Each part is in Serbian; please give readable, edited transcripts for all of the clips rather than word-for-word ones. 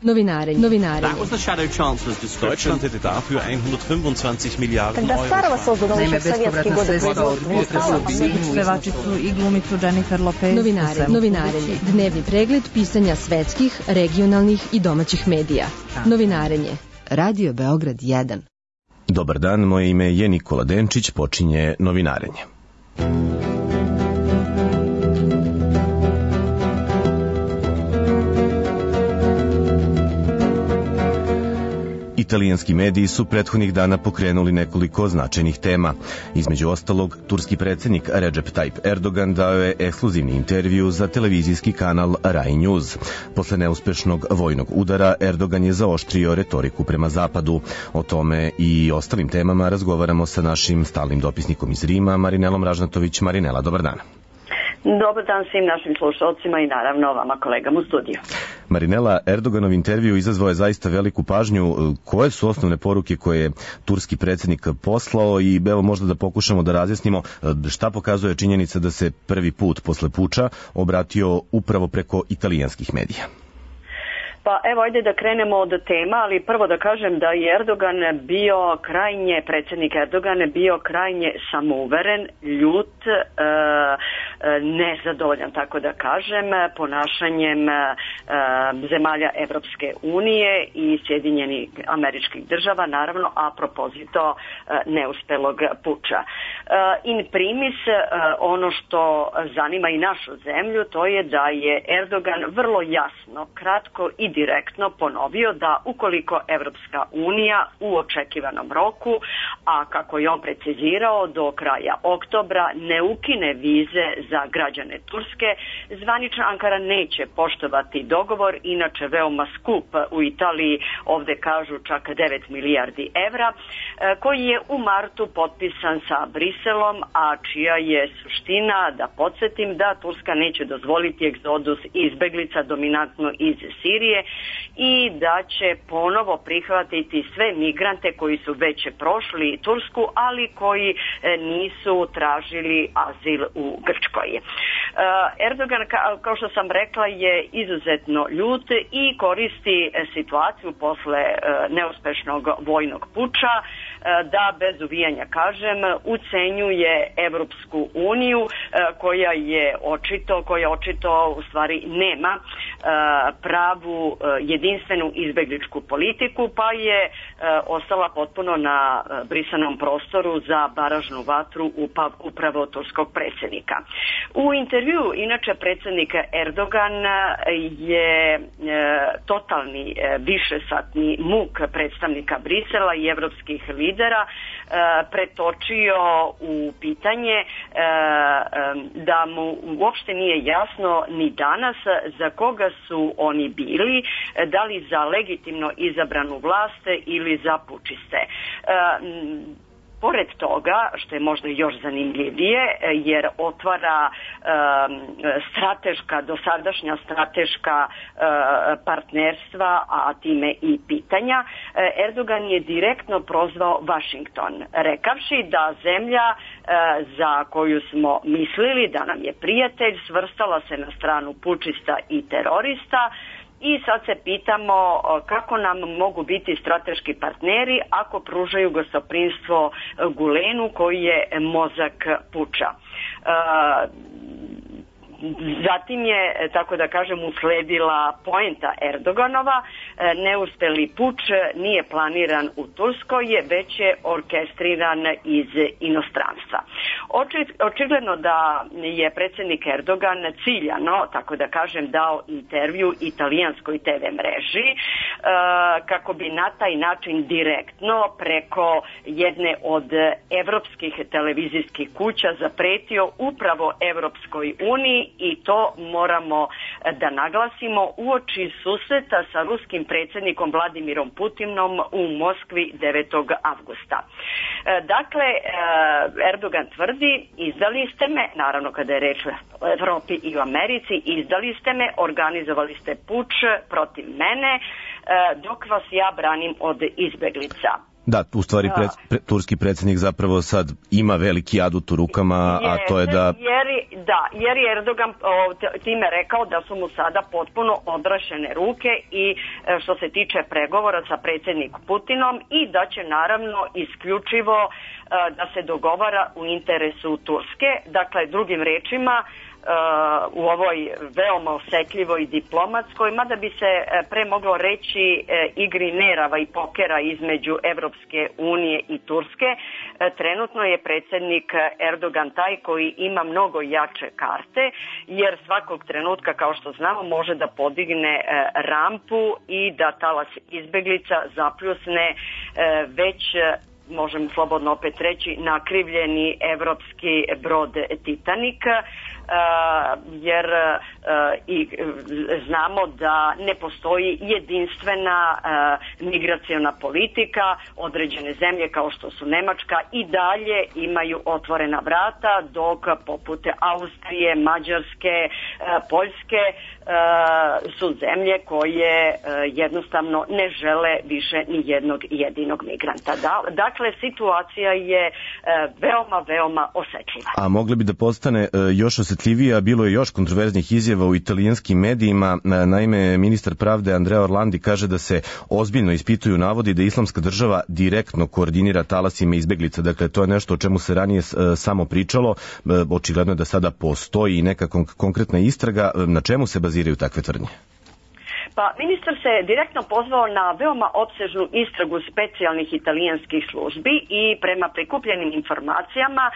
Novinarenje. That was the Shadow Chancellor's description. Deutschland hätte dafür 125 Miliarden Euro. Naime, bespovratna sredstva od unutrašnjeg pevačicu i glumicu Jennifer Lopez. Novinarenje. Dnevni pregled pisanja svetskih, regionalnih i domaćih medija. Novinarenje. Radio Beograd 1. Dobar dan, moje ime je Nikola Denčić, počinje Novinarenje. Italijanski mediji su prethodnih dana pokrenuli nekoliko značajnih tema. Između ostalog, turski predsjednik Recep Tayyip Erdogan dao je ekskluzivni intervju za televizijski kanal Rai News. Posle neuspešnog vojnog udara, Erdogan je zaoštrio retoriku prema zapadu. O tome i ostalim temama razgovaramo sa našim stalnim dopisnikom iz Rima, Marinelom Ražnatović. Marinela, dobar dan. Dobar dan svim našim slušalcima i naravno vama kolegama u studiju. Marinela, Erdoganov intervju izazvao je zaista veliku pažnju. Koje su osnovne poruke koje je turski predsjednik poslao i evo možda da pokušamo da razjasnimo šta pokazuje činjenica da se prvi put posle puča obratio upravo preko italijanskih medija? Pa evo, ajde da krenemo od tema, ali prvo da kažem da je predsjednik Erdogan bio krajnje samouveren, ljut, nezadovoljan, tako da kažem, ponašanjem zemalja Evropske unije i Sjedinjenih Američkih Država, naravno, a propozito neuspelog puča. In primis, ono što zanima i našu zemlju, to je da je Erdogan vrlo jasno, kratko i direktno ponovio da ukoliko Evropska unija u očekivanom roku, a kako je on precizirao do kraja oktobra, ne ukine vize za građane Turske, zvanična Ankara neće poštovati dogovor, inače veoma skup u Italiji, ovde kažu čak 9 milijardi evra, koji je u martu potpisan sa Briselom, a čija je suština, da podsjetim, da Turska neće dozvoliti egzodus izbeglica dominantno iz Sirije i da će ponovo prihvatiti sve migrante koji su već prošli Tursku, ali koji nisu tražili azil u Grčkoj. Erdogan, kao što sam rekla, je izuzetno ljut i koristi situaciju posle neuspešnog vojnog puča da, bez uvijanja kažem, ucenjuje Evropsku uniju koja očito u stvari nema pravu jedinstvenu izbegličku politiku, pa je ostala potpuno na brisanom prostoru za baražnu vatru upravo turskog predsjednika. U intervju, inače, predsjednik Erdogan je totalni višesatni muk predstavnika Brisela i evropskih lidera pretočio u pitanje da mu uopšte nije jasno ni danas za koga su oni bili, da li za legitimno izabranu vlast ili za pučiste. Pored toga, što je možda još zanimljivije, jer otvara dosadašnja strateška partnerstva, a time i pitanja, Erdogan je direktno prozvao Vašington, rekavši da zemlja za koju smo mislili da nam je prijatelj svrstala se na stranu pučista i terorista. I sad se pitamo kako nam mogu biti strateški partneri ako pružaju gostoprimstvo Gulenu koji je mozak puča. Zatim je, tako da kažem, usledila poenta Erdoganova, neuspeli puč nije planiran u Turskoj, već je orkestriran iz inostranstva. Očigledno da je predsjednik Erdogan ciljano, tako da kažem, dao intervju italijanskoj TV mreži kako bi na taj način direktno preko jedne od evropskih televizijskih kuća zapretio upravo Evropskoj uniji, i to moramo da naglasimo uoči susreta sa ruskim predsjednikom Vladimirom Putinom u Moskvi 9. avgusta. Dakle, Erdogan tvrdi, izdali ste me, naravno kada je reč o Evropi i u Americi, izdali ste me, organizovali ste puč protiv mene, dok vas ja branim od izbeglica. Da, u stvari turski predsjednik zapravo sad ima veliki adut u rukama, a to je da... Jer je Erdogan time rekao da su mu sada potpuno odrašene ruke i što se tiče pregovora sa predsjednikom Putinom i da će naravno isključivo da se dogovara u interesu Turske. Dakle, drugim rečima, u ovoj veoma osetljivoj diplomatskoj, mada bi se pre moglo reći igri nerava i pokera između Evropske unije i Turske, trenutno je predsjednik Erdogan taj koji ima mnogo jače karte, jer svakog trenutka, kao što znamo, može da podigne rampu i da talas izbeglica zapljusne već, možemo slobodno opet reći, nakrivljeni evropski brod Titanik, jer i znamo da ne postoji jedinstvena migraciona politika. Određene zemlje kao što su Nemačka i dalje imaju otvorena vrata, dok poput Austrije, Mađarske, Poljske su zemlje koje jednostavno ne žele više ni jednog jedinog migranta. Dakle, situacija je veoma osetljiva. A mogli bi da postane još osetljivija, bilo je još kontroverznih izjava u italijanskim medijima. Naime, ministar pravde Andrea Orlandi kaže da se ozbiljno ispituju navodi da Islamska država direktno koordinira talasima izbeglica. Dakle, to je nešto o čemu se ranije samo pričalo. Očigledno je da sada postoji neka konkretna istraga. Na čemu se baziraju takve tvrdnje? Pa ministar se direktno pozvao na veoma opsežnu istragu specijalnih italijanskih službi i prema prikupljenim informacijama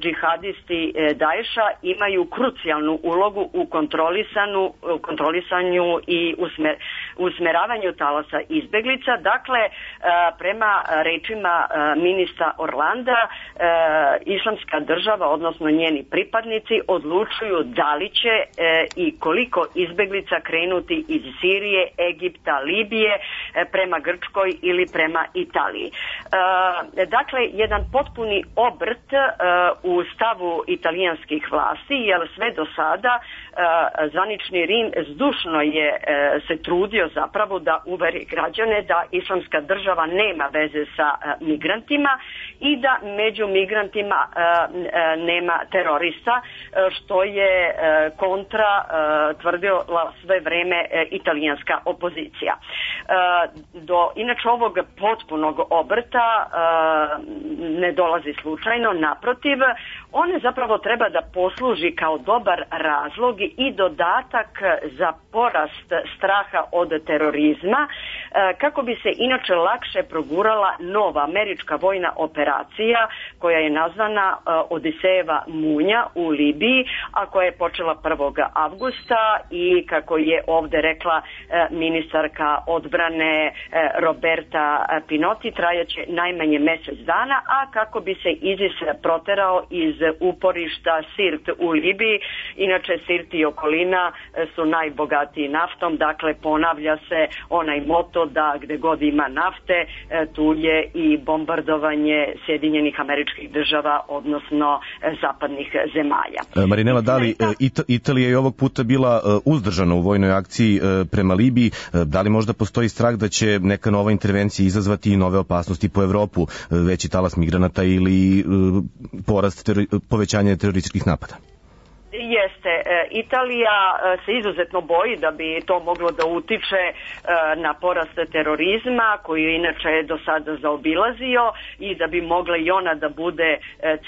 džihadisti Daesha imaju krucijalnu ulogu u kontrolisanju i usmeravanju talasa izbeglica. Dakle, prema rečima ministra Orlanda, Islamska država, odnosno njeni pripadnici, odlučuju da li će i koliko izbeglica krenuti iz Sirije, Egipta, Libije, prema Grčkoj ili prema Italiji. Dakle, jedan potpuni obrt u stavu italijanskih vlasti, jer sve do sada zvanični Rim zdušno je se trudio zapravo da uveri građane da Islamska država nema veze sa migrantima i da među migrantima nema terorista, što je kontra tvrdila sve vreme italijanska opozicija. Do inače ovog potpunog obrta ne dolazi slučajno, naprotiv, one zapravo treba da posluži kao dobar razlog i dodatak za porast straha od terorizma, kako bi se inače lakše progurala nova američka vojna operacija koja je nazvana Odisejeva munja u Libiji, a koja je počela 1. avgusta i kako je ovde rekla ministarka odbrane Roberta Pinotti, trajaće najmanje mjesec dana, a kako bi se ISIS proterao iz uporišta Sirt u Libiji. Inače, Sirt i okolina su najbogatiji naftom, dakle ponavlja se onaj moto da gde god ima nafte, tu je i bombardovanje Sjedinjenih Američkih Država, odnosno zapadnih zemalja. Marinela, da li Italija je ovog puta bila uzdržana u vojnoj akciji prema Libiji? Da li možda postoji strah da će neka nova intervencija izazvati nove opasnosti po Evropu, veći talas migranata ili povećanje terorističkih napada? Jeste. Italija se izuzetno boji da bi to moglo da utiče na porast terorizma, koji je inače do sada zaobilazio, i da bi mogla i ona da bude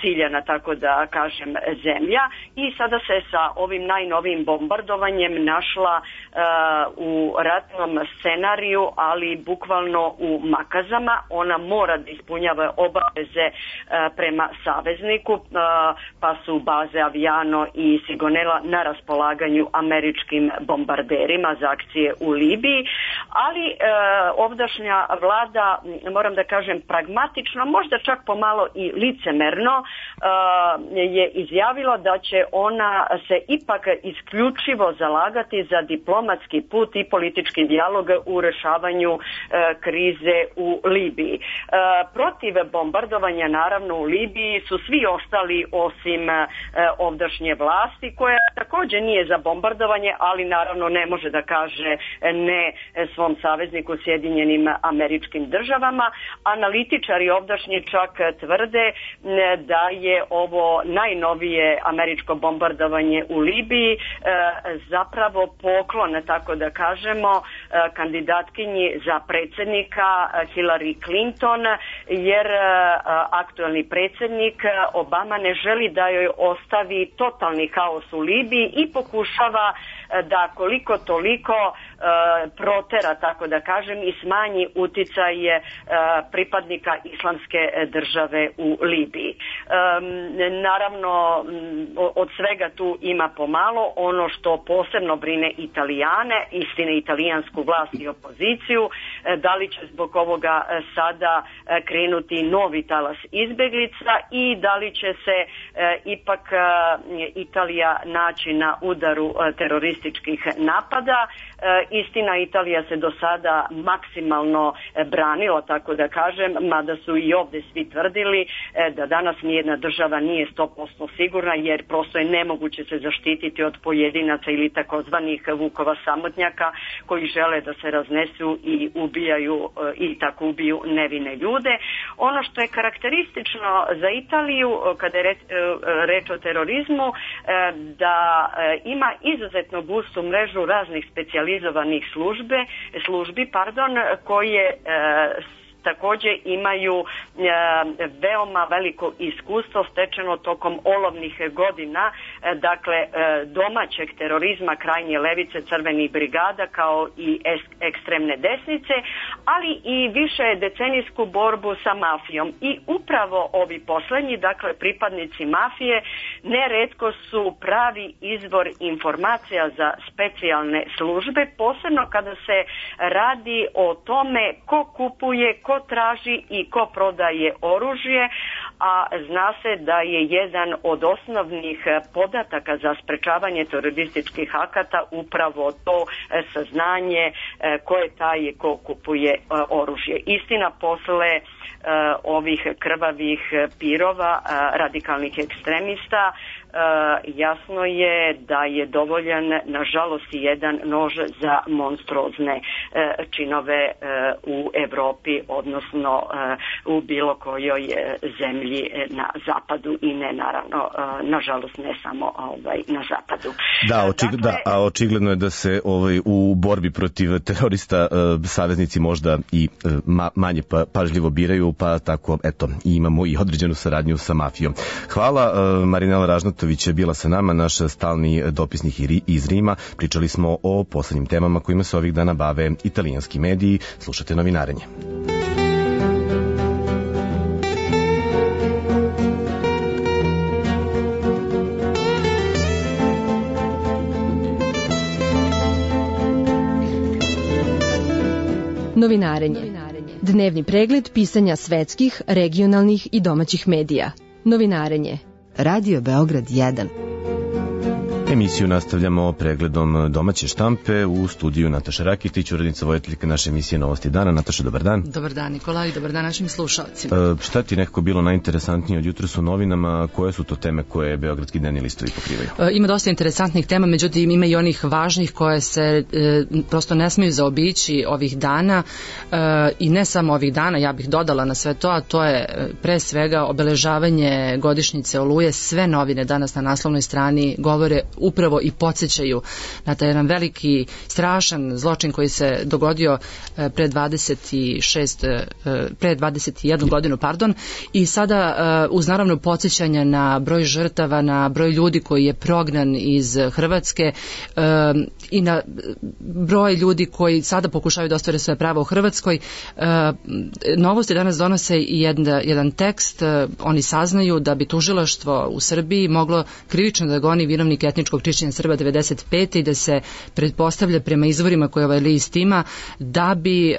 ciljana, tako da kažem, zemlja. I sada se sa ovim najnovijim bombardovanjem našla u ratnom scenariju, ali bukvalno u makazama. Ona mora da ispunjava obaveze prema savezniku, pa su baze Aviano i Sigonella na raspolaganju američkim bombarderima za akcije u Libiji, ali ovdašnja vlada, moram da kažem pragmatično, možda čak pomalo i licemerno, je izjavila da će ona se ipak isključivo zalagati za diplomatski put i politički dijalog u rešavanju krize u Libiji. Protiv bombardovanja naravno u Libiji su svi ostali osim ovdašnje vlasti, koja takođe nije za bombardovanje, ali naravno ne može da kaže ne svom savezniku Sjedinjenim Američkim Državama. Analitičari ovdašnji čak tvrde da je ovo najnovije američko bombardovanje u Libiji zapravo poklon, tako da kažemo, kandidatkinji za predsjednika Hillary Clinton, jer aktuelni predsjednik Obama ne želi da joj ostavi totalni haos u Libiji i pokušava da koliko toliko protera, tako da kažem, i smanji uticaj pripadnika islamske države u Libiji. Naravno, od svega tu ima pomalo. Ono što posebno brine Italijane, istine italijansku vlast i opoziciju, da li će zbog ovoga sada krenuti novi talas izbeglica i da li će se ipak Italija naći na udaru terorističkih napada. Istina, Italija se do sada maksimalno branila, tako da kažem, mada su i ovde svi tvrdili da danas nijedna država nije 100% sigurna, jer prosto je nemoguće se zaštititi od pojedinaca ili takozvanih vukova samotnjaka koji žele da se raznesu i ubijaju i tako ubiju nevine ljude. Ono što je karakteristično za Italiju kada je reč o terorizmu, da ima izuzetno gustu mrežu raznih specijalizovanih službi koje takođe imaju veoma veliko iskustvo stečeno tokom olovnih godina, dakle domaćeg terorizma krajnje levice, crvenih brigada kao i ekstremne desnice, ali i više decenijsku borbu sa mafijom. I upravo ovi poslednji, dakle pripadnici mafije, neretko su pravi izvor informacija za specijalne službe, posebno kada se radi o tome ko kupuje, ko traži i ko prodaje oružje, a zna se da je jedan od osnovnih podataka za sprečavanje terorističkih akata upravo to saznanje ko je taj ko kupuje oružje. Istina, posle ovih krvavih pirova radikalnih ekstremista, jasno je da je dovoljan, nažalost, jedan nož za monstruozne činove u Evropi, odnosno u bilo kojoj zemlji na zapadu i ne, naravno, nažalost, ne samo na zapadu. A očigledno je da se u borbi protiv terorista saveznici možda i manje pažljivo biraju, pa tako, eto, imamo i određenu saradnju sa mafijom. Hvala, Marinela Ražnatović je bila sa nama, naš stalni dopisnik iz Rima. Pričali smo o poslednjim temama kojima se ovih dana bave italijanski mediji. Slušate Novinarenje. Novinarenje. Dnevni pregled pisanja svetskih, regionalnih i domaćih medija. Novinarenje. Radio Beograd 1. Emisiju nastavljamo pregledom domaće štampe. U studiju Nataša Rakitić, urednica voditeljka naše emisije Novosti dana. Nataša, dobar dan. Dobar dan, Nikola, i dobar dan našim slušalcima. Šta ti nekako bilo najinteresantnije od jutros u novinama? Koje su to teme koje beogradski dnevni listovi pokrivaju? Ima dosta interesantnih tema, međutim ima i onih važnih koje se prosto ne smiju zaobići ovih dana, i ne samo ovih dana, ja bih dodala na sve to, a to je pre svega obeležavanje godišnjice Oluje. Sve novine danas na naslovnoj strani govore upravo i podsjećaju na taj jedan veliki, strašan zločin koji se dogodio pre 21 godinu, i sada uz naravno podsjećanja na broj žrtava, na broj ljudi koji je prognan iz Hrvatske i na broj ljudi koji sada pokušavaju da ostvare svoje prava u Hrvatskoj. Novosti danas donose i jedan tekst. Oni saznaju da bi tužilaštvo u Srbiji moglo krivično da goni vinovnike etničkog čišćenja Srba 95. i da se pretpostavlja prema izvorima koje ovaj list ima da bi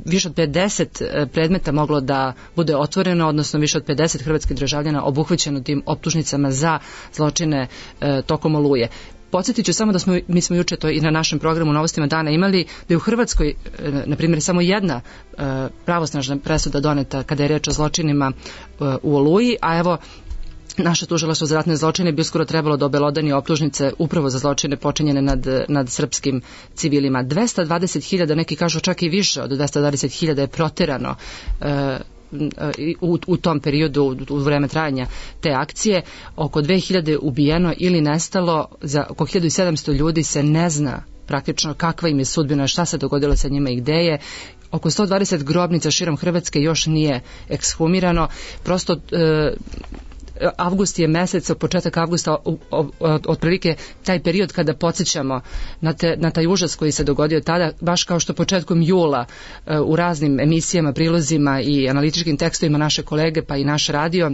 više od 50 predmeta moglo da bude otvoreno, odnosno više od 50 hrvatskih državljana obuhvaćeno tim optužnicama za zločine tokom Oluje. Podsjetit ću samo da mi smo juče to i na našem programu Novostima dana imali, da je u Hrvatskoj, na primjer, samo jedna pravosnažna presuda doneta kada je reč o zločinima u Oluji, a evo naše tužilaštvo za ratne zločine bi uskoro trebalo da obelodani optužnice upravo za zločine počinjene nad srpskim civilima. 220.000, neki kažu čak i više od 220.000 je proterano u tom periodu, u vreme trajanja te akcije. Oko 2000 ubijeno ili nestalo, za oko 1700 ljudi se ne zna praktično kakva im je sudbina, šta se dogodilo sa njima i gde je. Oko 120 grobnica širom Hrvatske još nije ekshumirano. Prosto avgust je mesec, početak avgusta, otprilike taj period kada podsjećamo na taj užas koji se dogodio tada, baš kao što početkom jula u raznim emisijama, prilozima i analitičkim tekstovima naše kolege pa i naš radio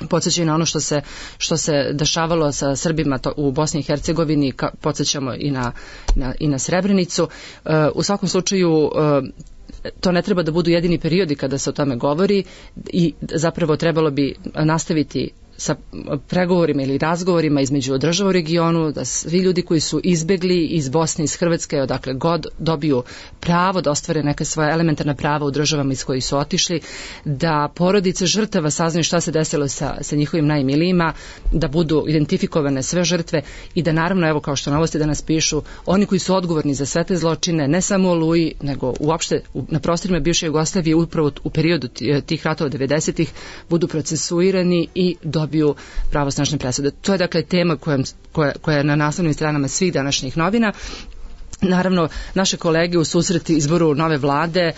podsjećaju na ono što se dešavalo sa Srbima u Bosni i Hercegovini, podsjećamo i na Srebrenicu. U svakom slučaju to ne treba da budu jedini periodi kada se o tome govori i zapravo trebalo bi nastaviti sa pregovorima ili razgovorima između država u regionu, da svi ljudi koji su izbegli iz Bosne, iz Hrvatske, odakle god dobiju pravo da ostvare neke svoje elementarna prava u državama iz kojih su otišli, da porodice žrtava saznaju šta se desilo sa njihovim najmilijima, da budu identifikovane sve žrtve i da naravno, evo kao što novosti danas pišu, oni koji su odgovorni za sve te zločine, ne samo u Oluji, nego uopšte na prostorima bivše Jugoslavije, upravo u periodu tih ratova 90-ih, budu procesuirani i dobiju pravosnažne presude. To je dakle tema koja je na naslovnim stranama svih današnjih novina. Naravno, naše kolege u susreti izboru nove vlade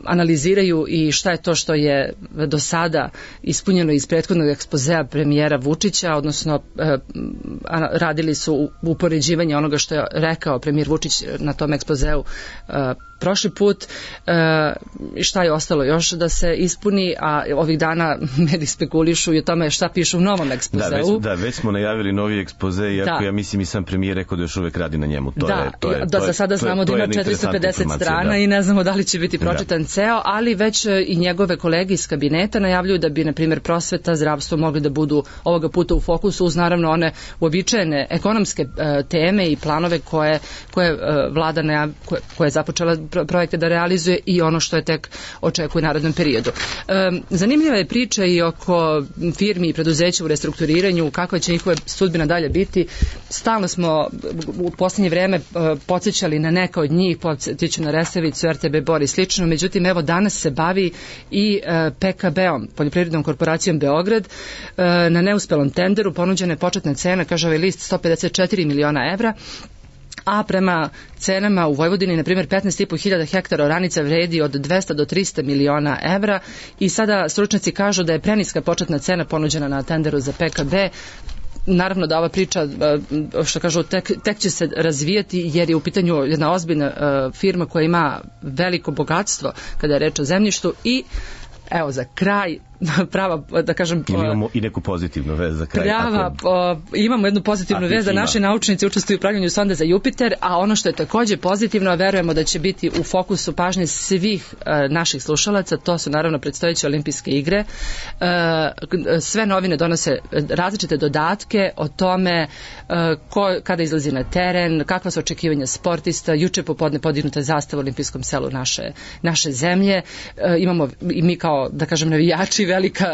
analiziraju i šta je to što je do sada ispunjeno iz prethodnog ekspozea premijera Vučića, odnosno radili su upoređivanje onoga što je rekao premijer Vučić na tom ekspozeu prošli put, šta je ostalo još da se ispuni, a ovih dana mediji spekulišu i o tome šta pišu u novom ekspozeu. Već smo najavili novi ekspoze, iako ja mislim i sam premijer rekao da još uvek radi na njemu. Za sada znamo da ima 450 strana i ne znamo da li će biti pročitan ceo, ali već i njegove kolege iz kabineta najavljuju da bi, na primjer, prosveta, zdravstvo mogli da budu ovoga puta u fokusu, uz naravno one uobičajene ekonomske teme i planove koje vlada koja je započela projekte da realizuje i ono što je tek očekuje u narednom periodu. Zanimljiva je priča i oko firmi i preduzeća u restrukturiranju, kakva će njihova sudbina dalje biti. Stalno smo u posljednje vreme podsjećali na neka od njih, podsjeću na Resavicu, RTB Bor i slično, međutim evo danas se bavi i PKB-om, Poljoprivrednom korporacijom Beograd. Na neuspelom tenderu ponuđena je početna cena, kaže ovaj list, 154 miliona evra, a prema cenama u Vojvodini, na primjer, 15.500 hektara oranica vredi od 200 do 300 miliona evra i sada stručnjaci kažu da je preniska početna cena ponuđena na tenderu za PKB. Naravno da ova priča, što kažu, tek će se razvijati jer je u pitanju jedna ozbiljna firma koja ima veliko bogatstvo kada je reč o zemljištu i evo za kraj prava, da kažem... Imamo i neku pozitivnu vez za kraj. Imamo jednu pozitivnu vez da naši naučnici učestvuju u pravljenju sonde za Jupiter, a ono što je takođe pozitivno, a verujemo da će biti u fokusu pažnje svih naših slušalaca, to su naravno predstojeće olimpijske igre. Sve novine donose različite dodatke o tome kada izlazi na teren, kakva su očekivanja sportista. Juče popodne podignuta zastava u olimpijskom selu naše zemlje. Imamo i mi kao, da kažem, navijači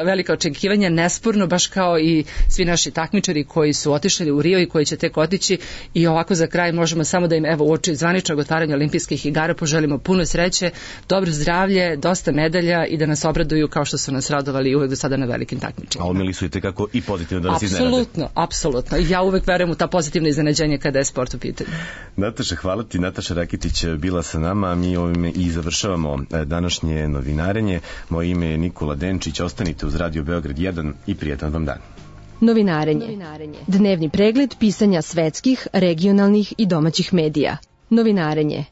velika očekivanja, nesporno, baš kao i svi naši takmičari koji su otišli u Rio i koji će tek otići. I ovako za kraj možemo samo da im evo uoči zvaničnog otvaranja olimpijskih igara poželimo puno sreće, dobro zdravlje, dosta medalja i da nas obraduju kao što su nas radovali uvek do sada na velikim takmičenjima. A umeli su i tekako i pozitivno da nas iznenade. Apsolutno. Ja uvek verujem u ta pozitivna iznenađenja kada je sport u pitanju. Nataša, hvala ti. Nataša Rakitić bila sa nama, mi ovime i završavamo današnje novinarenje. Moje ime je Nikola Denčić. Ostanite uz Radio Beograd 1 i prijetan vam dan. Novinarenje. Dnevni pregled pisanja svetskih, regionalnih i domaćih medija. Novinarenje.